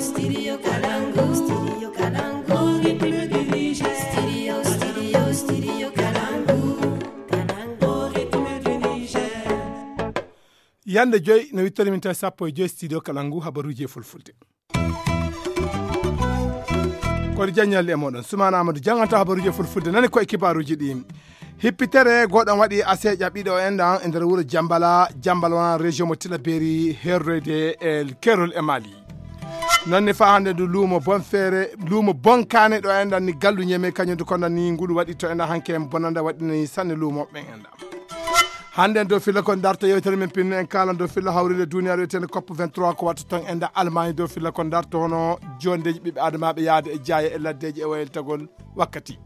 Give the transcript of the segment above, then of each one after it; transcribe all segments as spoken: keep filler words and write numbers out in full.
Studio Kalangu, Studio Kalangu, Ritme du Niger. Studio, Studio, Studio Kalangu, Kalangu, Ritme du Niger. Yande joy no wittori min tawi sappo e joy studio Kalangu habaruji e fulfulde. Koɗo jaññalli e moɗon Sumaana Amadou janganta habaruji e fulfulde nani koye kibaruji ɗi. Hippitere goɗon waɗi aseeƴa ɓiɗo enɗan e nder wuro Jambala, Jambala wona région mo Tilaberi herroyde e kerol e Mali. Noon ne faa hannde ndu luumo Bonfeere, luumo Bonkane ɗo enɗan ni gallu Ñeme kañum ndu kono ni ngulu waɗi to enɗan hanke en bonanda waɗi ni sanne luumo ɓen enɗan. Hannde en dow filla kon darto yewtere men pinne en kaalan dow filla hawrire duniyaaru wiyetende cop vingt-trois ko watta ton enɗan Almaañi dow filla kon darto hono jondeji ɓiɓɓe adamaaɓe yaade e jaaya e laddeji e wayeltagol wakkati.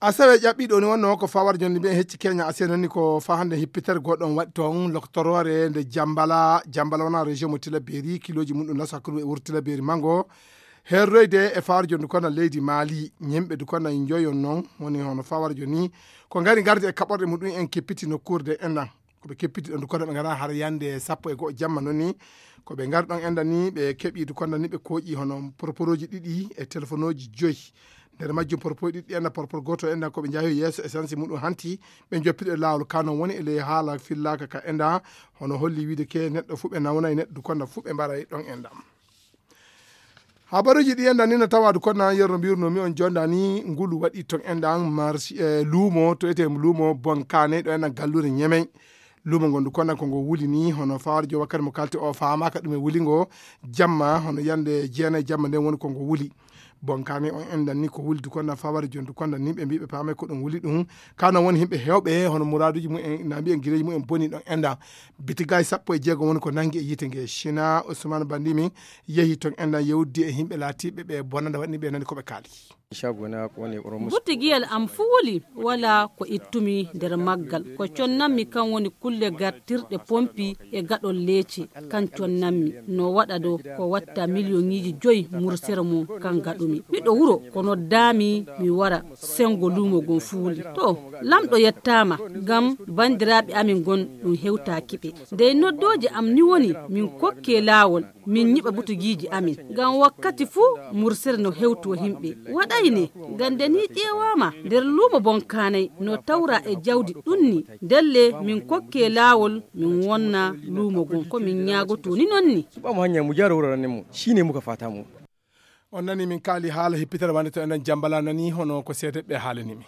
Asawe ƴaɓɓiɗo ni wonno ko fawar jonde mbiyen hecci Kenya asenani ko fa hannde hippitere goɗɗo on waɗi toon loktoroore nde Jambala, Jambala wona région mo Tilaberi, kiloji mum ɗum naso hakkunde wuro Tilaberi mango. Herroyde e fawar jonde kono leydi Mali, ñemɓe du kono njoyon noon woni hono fawar joni ko ngari garde e kaɓorɗe muɗum en keppiti nokkuurde enɗan. Ko ɓe keppiti ɗon du kono ɓe ngara har yande sappo e go'o jamma noon ni. Ko ɓe ngari ɗon enɗan ni ɓe keɓi du kono ni ɓe kooƴi hono porporoji ɗiɗi e telefonoji joyi. Nder majjum porporo ɗiɗi enɗan porporo gooto enɗan ko ɓe njahi yeeso essence muɗum hanti ɓe joppiɗo e laawol ka noon woni e ley haala fillaaka ka enɗan hono holli wiide ke neɗɗo fuu ɓe nawnay neɗɗo du kono fuu ɓe mbaray ɗon enɗan. Habaruji ɗi enɗan ni no tawa du kono yerno mbirno mi on jonda ni ngulu waɗi ton enɗan marché e luumo to ete luumo Bonkane ɗo enɗan gallure Ñemey. Luumo ngon du kono ko ngo wuli ni hono fawar jo wakkati mo kalti o faamaka ɗum e wuli ngo jamma hono yande jeenay jamma nden woni ko ngo wuli. Bonkane on enɗan ni ko wuli du kono fawar jon du kono ni ɓe mbiɓe paame ko ɗum wuli ɗum. Kano woni himɓe hewɓe hono muraduji mumen na mbiyen gireji mumen boni ɗon enɗan. Bitigay sappo e jeego woni ko nangi e yiite nge China Ousmane Bandimi yehi ton enɗan yewdi e himɓe laatiɓe ɓe bonanda waɗni ɓe nani ko ɓe kaali. Butigiyel am fuu wuli wala ko ittumi nder maggal ko connammi kan woni kulle gartirɗe pompi e gaɗol leece kan connammi no waɗa do ko watta miliyoŋiiji joyi mursere mum kan gaɗumi miɗo wuro ko noddaami mi wara sengo luumo gon fuu wuli to lamɗo yettaama ngam banndiraaɓe amin gon ɗum hewtaaki ɓe dey noddooje am ni woni min kokke laawol min nyiɓa butugiiji amin ngam wakkati fuu mursere no hewtoo himɓe waɗayne ngam nde ni ƴeewaama nder luumo bonkaanay no tawra e jawdi ɗunni ndelle min kokke laawol min wonna luumo gon ko min ñaagotoo ni non ni. Suɓaamo hannyaa mo jaara wuro rannen mo siine mo ka faata mo. On nani min kaali haala hippitere wande to enen jambala nani hono ko seedeɓe haalani mi.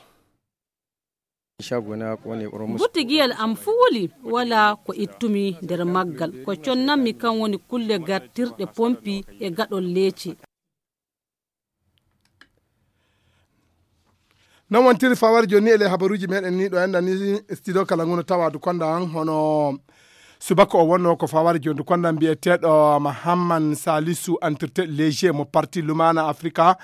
Butigiyel am fuu wuli wala ko ittumi nder maggal ko connammi kan woni kulle gartirɗe pompi e gaɗol leece. Non wontiri fawar joni e ley habaruji meɗen ni ɗo enɗan ni studio kala nguno tawadu konda an hono subaka o wonno ko fawar joni konda mbiyeteɗo mahamman salisu entretien léger mo parti lumana africa.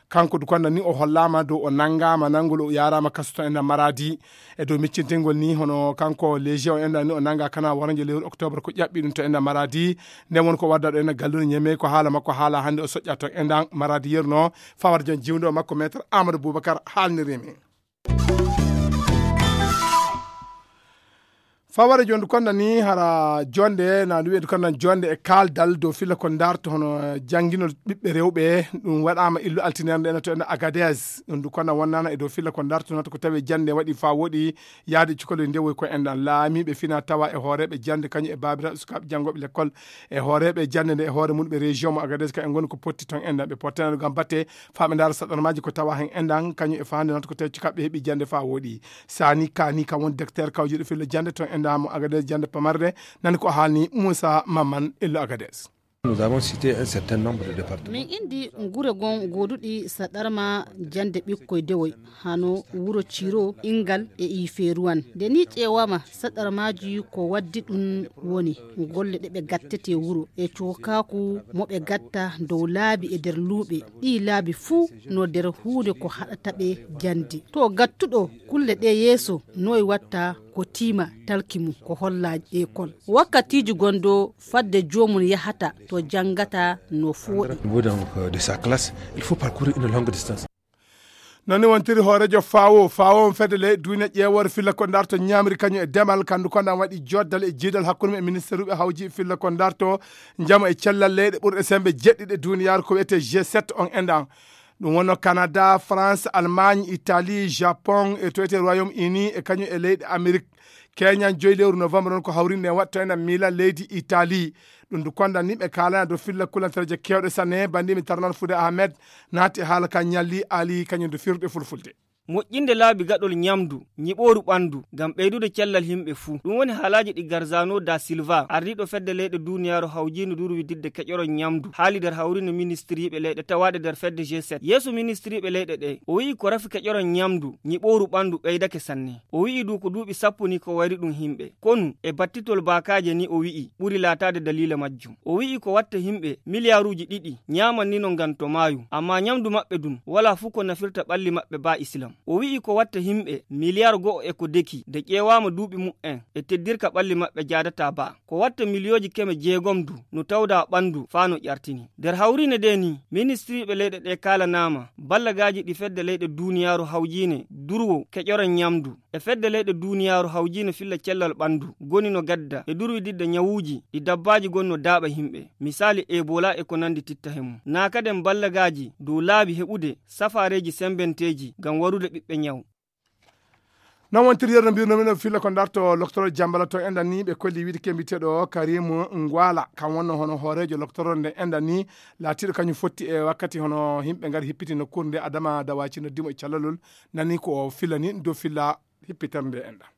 Kanko du konda ni o hollama dow o nangama nangol o yarama kaso to enɗan maradi e dow miccintingol ni hono kanko léger o enɗan ni o nanga kana waranjo lewru octobre ko ƴaɓɓi ɗum to enɗan maradi. Nden won ko wadda ɗo enɗan gallure ñeme ko haala makko haala hande o soƴƴa to enɗan maradi yerno fawar jon jiwdo makko maître amadou boubacar haalnirimi. Faware jonde konda ni hara jonde na ɗum wiyeede konda jonde e kaaldal dow filla ko darto hono jannginol ɓiɓɓe rewɓe ɗum waɗama illu altinere nde ena to ena agades ɗum du konda wonnana e dow filla ko darto nata ko tawi jannde waɗi fa woɗi yaade cukalel ndewoy ko enɗan laamiiɓe fina tawa e hooreeɓe jannde kañum e baabiraaɓe sukaaɓe janngooɓe lekkol e hooreeɓe jannde nde e hoore mum ɓe région mo agades ka en ngoni ko potti toon enɗan ɓe pottanaɗo gam batte faa ɓe ndaara saɗɗormaaji ko tawa heen enɗan kañum e faande nata ko tawi cukaɓe heɓi jannde faa wooɗi. Sani kani kam woni docteur kawjuɗo fillo jannde toon enɗan mo agades jannde pamarde nani ko haalni moussa mamman illo agades. Nous avons cité un certain nombre de départements. Min indi ngure gon goduɗi saɗarma jande ɓikkoy dewoy hano wuro ciro ingal e iferuwan nde ni ƴeewama saɗarmaji ko waddi ɗum woni golle ɗe ɓe gattete wuro e cokaku mo ɓe gatta dow laabi e nder luuɓe ɗi laabi fuu no nder huunde ko haɗata ɓe jande to gattuɗo kulle ɗe yeeso noy watta ko tiima talki mum ko holla ekol wakkatiiji gonɗo fadde joomum yahata to janngata no fooɗi. Au niveau donc, euh, de sa classe, il faut parcourir une longue distance. Noon ni wontiri hooreejo fawo fawo on fedde leyɗe duuniya ƴeewoore filla ko ndarto ñaamri kañum e demal kandu konda waɗi joddal e jiidal hakkunde mum e ministeruɓe hawji filla ko ndarto njamu e cellal leyɗe ɓurɗe sembe jeɗɗiɗe duniyaaru ko wiyetee g sept on endan. Ɗum wonno Canada, France, Allemagne, Italie, Japon e to wiyetee Royaume Uni e kañum e leyɗe Amérique. Keñan joyi lewru novembre on ko hawrinde e waɗto enen miila leydi Italie. Ɗum du kondan ni ɓe kaalana dow filla kulantereeje kewɗe sanne. Bandimi tarnan Fude Ahmed naati e haala ka ñalli ali kañum du firde fulfulde. Moƴƴinde laabi gaɗol ñamdu, ñiɓooru ɓandu, ngam ɓeydude cellal yimɓe fuu. Ɗum woni haalaaji ɗi Garzano da Silva, ardiiɗo fedde leyɗe duniyaaru hawjiino durwididde keƴoron ñamdu, haali nder hawriinde ministiriiɓe leyɗe tawaaɗe nder fedde g sept. Yeeso ministiriiɓe leyɗe ɗe, o wi'i ko rafi keƴoron ñamdu, ñiɓooru ɓandu ɓeydake sanne. O wi'i du ko duuɓi sappo ni ko wayri ɗum yimɓe. Konu, e battitol baakaaje ni o wi'i, ɓuri laataade daliila majjum. O wi'i ko watta yimɓe miliyaaruuji ɗiɗi ñaaman ni no ngam to maayu, ammaa ñamdu maɓɓe dun walaa fuu ko nafirta ɓalli maɓɓe baa Islam. O wi'i ko watta yimɓe miliyaar go'o e ko deki nde ƴeewaama duuɓi mu'en e teddirka ɓalli maɓɓe jaadataa baa. Ko watta miliyooji keme jeegom du no tawdaa ɓandu faa no ƴartini. Nder hawriine ndee ni, ministiriiɓe leyɗe ɗee kaalanaama ballagaaji ɗi fedde leyɗe duniyaaru hawjiine durwo keƴoran ñamdu. E fedde leyɗe duniyaaru hawjiino filla cellal ɓandu, goni no gadda e durwididde ñawuuji ɗi dabbaaji goni no daaɓa yimɓe, misaali Ebola e ko nandi titta he mum. Naa kaden ballagaaji dow laabi heɓude safaareeji sembenteeji ngam warude ɓiɓɓe ñaw. Noon wontiri yeru no mbirno min filla ko ndarto loktoro jambala to enɗan ni ɓe kolli wiide kembiteɗo Karim Ngwala, kam wonno hono hooreejo loktoro nde enɗan ni, laatiiɗo kañum fotti e wakkati hono yimɓe ngari hippiti nokkuure nde Adama Dawaci noddimo e callalol. Nani ko o fillani dow filla hippitere nde enɗan.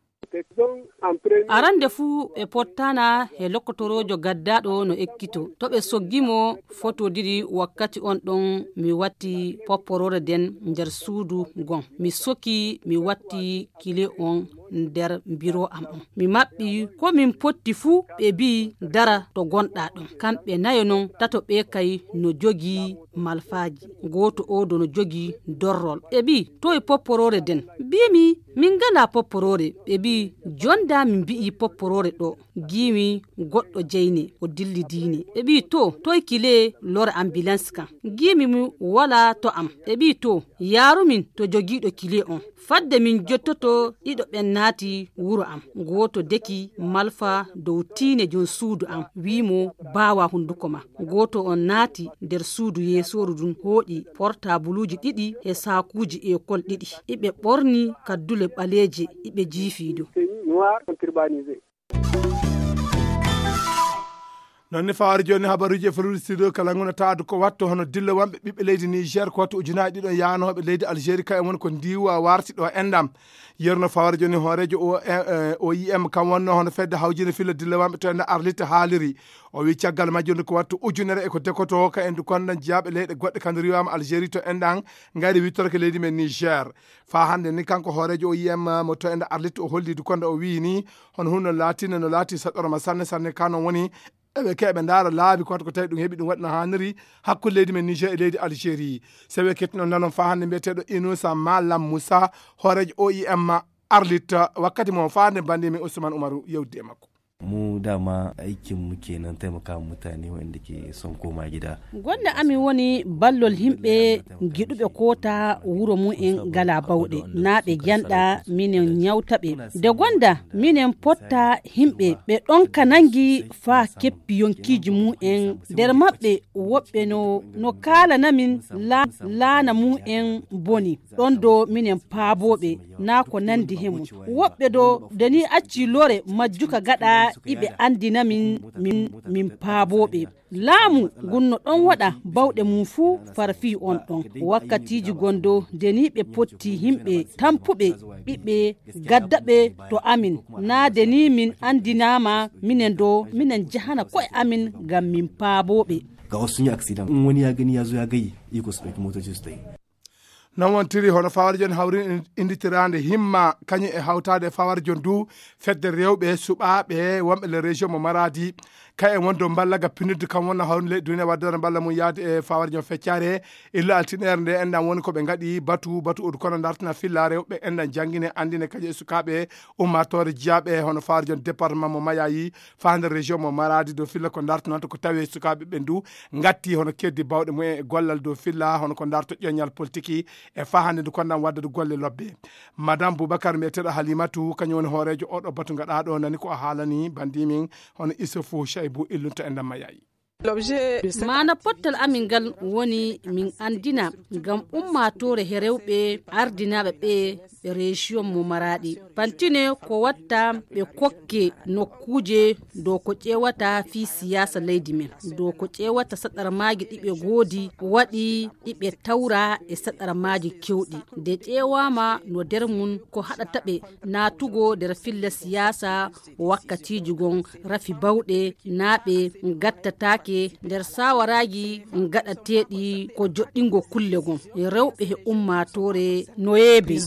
Arande fuu ɓe pottana he lokkotoroojo gaddaaɗo no ekkito. To ɓe soggi mo fotodiri wakkati on ɗon mi watti popporoore den nder suudu gon. Mi soki mi watti kile on nder biro am on. Mi maɓɓi ko min potti fuu ɓe bi dara to gonɗa ɗon. Kamɓe nayo non tato ɓe kay no jogi malfaaji. Gooto oo do no jogi dorrol. Ɓe bi toy popporoore den? Bimi min ngalaa popporoore. Ɓe mbi'i jonda min mbi'i popporoore ɗo. Ngiimi goɗɗo jeyne o dilli diine. Ɓe mbi'i to toy kile lore ambulance kan? Ngiimi mi walaa to am. Ɓe mbi'i to yaarumin to jogiiɗo kile on. Fadde min jottoto ɗiɗo ɓen naati wuro am. Gooto deki malfa dow tiine jon suudu am wi'i mo baawa hunduko ma. Gooto on naati nder suudu yeesooru ndun hooƴi portabuluuji ɗiɗi e saakuuji ekol ɗiɗi. Iɓe ɓorni kaddule ɓaleeje iɓe jiifii dow. Noon ne fawaade jooni habaruuji e faluuji studio kala ngona taadu ko watto hono dillowamɓe ɓiɓɓe leydi Niger ko watto ujunaaji ɗiɗo yaanooɓe leydi Algérie kayen woni ko ndiwa warti ɗo enɗam. Yerno fawaade jooni hooreejo o e, e, O I M kam wonno hono fedde hawjinde filla dillowamɓe to enɗam Arlit haaliri. O wi caggal majjunde ko wattu ujunere e ko dekoto ka endu konda jiyaaɓe leyɗe goɗɗe kande riwama Algérie to enɗan ngari wittorke leydi men Niger. Faa hannde ni kanko hooreejo O I M mo to enɗa Arlit o holli du konda o wiyi ni hono hunde no laatinde no laati saɗɗorma sanne sanne ka non woni eɓe keɓe ndaara laabi ko ko tawi ɗum heɓi ɗum waɗi no haaniri hakkunde leydi men Niger e leydi Algérie. Sewe kettuno nanon faa hannde mbiyeteeɗo Inusa Malam Moussa hooreejo O I M Arlit wakkati mo faa hannde bandi men Ousmane Oumarou yewdi e makko. Mu dama aikin mu kenan taimaka mutane waɗanda ke son koma gida. Gonda amin woni ballol himɓe giɗuɓe koota wuro mumen gala bawɗe naa ɓe janɗa minen ñawta ɓe. Nde gonda minen potta himɓe ɓe ɗon ka nangi faa keppi yonkiiji mumen nder maɓɓe woɓɓe no no kaalanamin la- laana mumen boni. Ɗon do minen paabooɓe naa ko nandi he mum. Woɓɓe do de ni acci lore majjuka gaɗa iɓe andina min min min paabooɓe. Laamu ngun no ɗon waɗa bawɗe mum fuu farfii on ɗon. Wakkatiiji gondo de ni ɓe potti himɓe tampuɓe ɓiɓɓe gaddaɓe to amin. Naa de ni min andinaama minen do minen jahana ko'e amin ngam min paabooɓe. Ga wasu sun yi accident in wani ya gani ya zo ya gayi iko su ɗauki motoci su tafi. Noon wontiri hono fawarjon hawri inditiraande himma kañum e hawtaade e fawarjon du fedde rewɓe suɓaaɓe wonɓe le région mo maradi. Ka en wonde mballa ga pinirde kam wonna hawrinde leydi duniya waddere mballa mum yaade e fawar jom feccare. Illa altinere nde enɗan woni ko ɓe ngaɗi batu batu odu kono dartina filla rewɓe enɗan janngine anndine kaƴe e sukaaɓe ummatore jiyaaɓe hono fawar jom département mo mayayi faa nder région mo maradi dow filla ko dartinanta ko tawi e sukaaɓe ɓen du ngatti hono keddi bawɗe mumen e gollal dow filla hono ko darto ƴoññal politiki. E faa hannde ndu konɗan waddade golle lobbe. Madame Boubacar mbiyeteeɗo Halimatu kañum woni hooreejo oɗo batu ngaɗaaɗo nani ko a haalani bandi min hono Issoufou Chaibou illunto e ndamma yayi. Maana pottal amin ngal woni min anndina ngam ummaatoore he rewɓe ardinaaɓe ɓe ɓe région mo maraɗi pantine ko watta ɓe kokke nokkuuje dow ko ƴeewata fii siyaasa leydi men dow ko ƴeewata saɗarmaaji ɗi ɓe ngoodi waɗi ɗi ɓe tawra e saɗarmaaji kewɗi nde ƴeewaama no nder mum ko haɗata ɓe naatugo nder filla siyaasa wakkatiiji gon rafi bawɗe naa ɓe ngattataake nder saawaraaji ngaɗateeɗi ko joɗɗingo kulle gon rewɓe he ummaatoore no yeebe.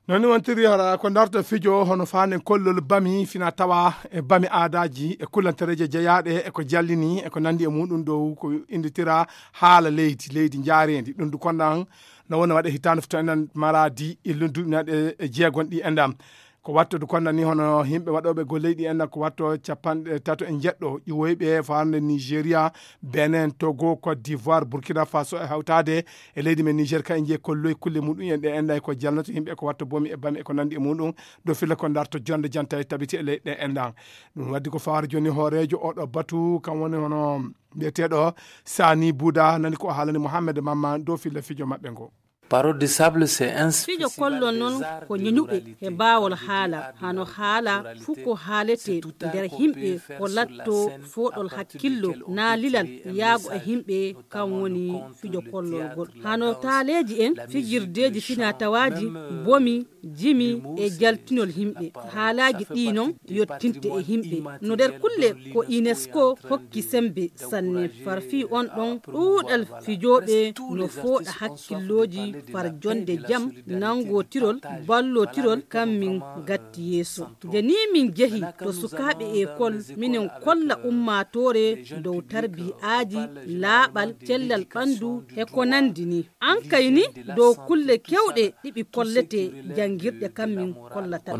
Noon ni wontiri hara ko darto fijo hono faanden kollol bami fina tawa e bami aadaaji e kullantereeje jeyaaɗe e ko jallini e ko nanndi e muuɗum dow ko innditira haala leydi leydi njaareendi ɗum du konɗan no wona waɗe hitaande fof to enɗan maraadi illum duuɓinaaɗe e jeegon ɗi enɗan ko watto du konɗan ni hono yimɓe waɗooɓe golleyɗi enɗan ko watto capanɗe tato e njeɗɗo ƴiwoyɓe faarnde Nigeria, Benin, Togo, Côte d'Ivoire, Burkina Faso e hawtaade e leydi men Niger ka en njiye kolloy kulle muɗum en ɗe enɗan e ko jalnoto yimɓe ko watto bomi e bami e ko nanndi e muɗum dow filla ko darto jonde janta e tabiti e leyɗe enɗan. Ɗum waddi ko fawaade jooni hooreejo oɗo batu kam woni hono mbiyeteeɗo Sani Buda nani ko haalani Mohammed Mamma dow filla fijo maɓɓe ngo. Parole de sable, c'est un fijo kollon noon ko ñeñuɓe he baawol haala hano haala fuu ko haalete nder himɓe ko latto fooɗol hakkillo naa lilal yaago e himɓe kam woni fijo kollol ngol hano taaleeji en fijirdeeji finatawaaji bomi jimi e jaltinol himɓe haalaaji ɗi noon yottinte e himɓe no nder kulle ko unesco hokki sembe sanne far fii on ɗon ɗuuɗal fijooɓe no fooɗa hakkillooji far jonde jam nanngotirol ballotirol kam min gatti yeeso nde ni min jehi to sukaaɓe ekol minen kolla ummaatoore dow tarbi'aaji laaɓal cellal ɓanndu e ko nanndi ni an kay ni dow kulle kewɗe ɗiɓi kollete janngirɗe kam min kollata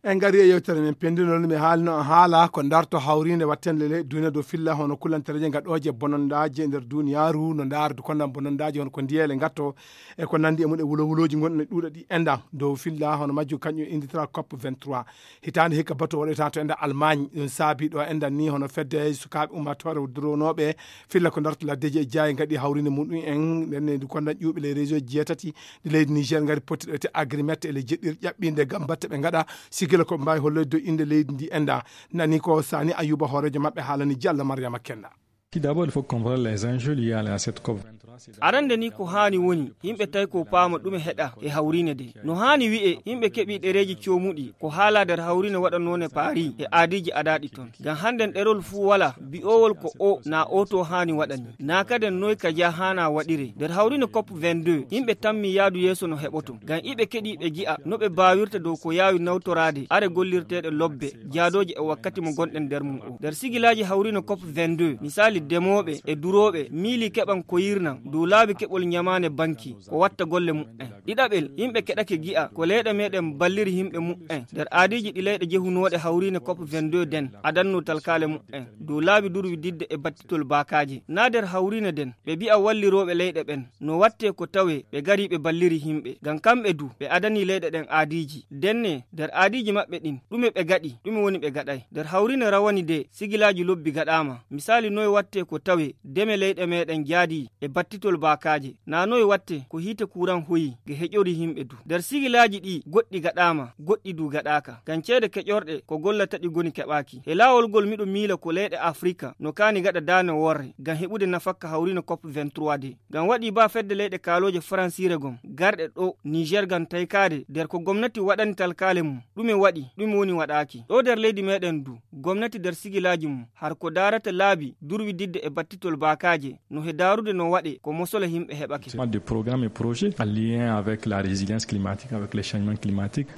en ngari e yewtere men pendinol mi haalino haala ko darto hawrinde wattende le duna dow filla hono kullantereje gaɗooje bonondaaji e nder duniyaaru no ndaardu kondan bonondaaji hono ko ndiyele gatto e ko nanndi e mum e wulo wulooji gonɗi no ɗuuɗa ɗi enɗan dow filla hono majjum kañum inditira cop vingt-trois. Hitaande hikka bato waɗoyta to enɗan Allemagne ɗum saabi ɗo enɗan ni hono fedde sukaaɓe ummaatoore duronooɓe filla ko darto laddeji e jaayi gaɗi hawrinde muɗum en ndenne ndu kondan ƴuuɓi les région jeetati ɗi leydi Niger ngari pottiɗo te agrimette e le jeɗɗir ƴaɓɓinde gam batte ɓe ngaɗa sigila ko mbaawi holloyde dow innde leydi ndi enda nani ko Sani Ayuba hooreejo maɓɓe haalani Diallo Mariama Kenda. Tout d'abord, il faut comprendre les enjeux liés à la- cette cop vingt-trois. Arande ni ko haani woni yimɓe tawi ko paama ɗume heɗa e hawriine de no haani wi'e yimɓe keɓi ɗereeji coomuɗi ko haala nder hawriine waɗanoone paari e aadiiji adaaɗi toon ngam hannden ɗerol fuu wala bi'owol ko o na oto haani waɗani na kaden noy ka jaa haana waɗire nder hawriine cop vingt-deux yimɓe tammi yaadu yeeso no heɓoto ngam iɓe keɗi ɓe ji'a no ɓe baawirta dow ko yaawi nawtoraade are gollirteeɗe lobbe jaadooje e wakkati mo gonɗen nder mum o nder sigilaaji hawriine cop vingt-deux misaali demooɓe e durooɓe miili keɓan ko yirnan dow laabi keɓol ñamaane banki ko watta golle muɓɓen ɗiɗaɓel yimɓe keɗake gi'a ko leyɗe meɗen balliri yimɓe muɓɓen nder aadiiji ɗi leyɗe jehunooɗe hawriine cop vingt-deux den adanno talkaale muɓɓen dow laabi durwi didde e battitol baakaaje naa nder hawriine den ɓe bi'a wallirooɓe leyɗe ɓen no wattee ko tawee ɓe garii ɓe balliri yimɓe ngam kamɓe du ɓe adanii leyɗe ɗen aadiiji denne nder aadiiji maɓɓe ɗin ɗume ɓe gaɗi ɗume woni ɓe gaɗay nder hawriine rawani de sigilaaji lobbi gaɗaama misaali noye wattee ko tawee deme leyɗe meɗen jaadii e battitol baakaaje naa noye wattee ko hiite kuuran hoyii nge heƴori yimɓe du nder sigilaaji ɗii goɗɗi gaɗaama goɗɗi du gaɗaaka ngam ceede keƴorɗe ko gollata ɗi goni keɓaaki e laawol ngol miɗo miila ko leyɗe afrika no kaani gaɗa daane worre ngam heɓude nafakka hawriine cop vingt-trois de ngam waɗii baa fedde leyɗe kaalooje faransiire gom garɗe ɗo niger ngam taykaade nder ko gomnati waɗani talkaale mum ɗume waɗi ɗume woni waɗaaki ɗo nder leydi meɗen du gomnati nder sigilaaji mum har ko daarata laabi durwididde e battitol baakaaje no he daarude no waɗe ko mosole yimɓe heɓake. Des programmes et projets en lien avec la résilience climatique, avec les changements climatiques.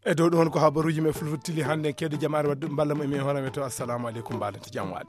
E dow ɗon ko habaruuji men fulfulde tili hannde, keɗo jamaare wadde mballa mo e men hono men to. Assalamu aleykum, mbaalante jam waali.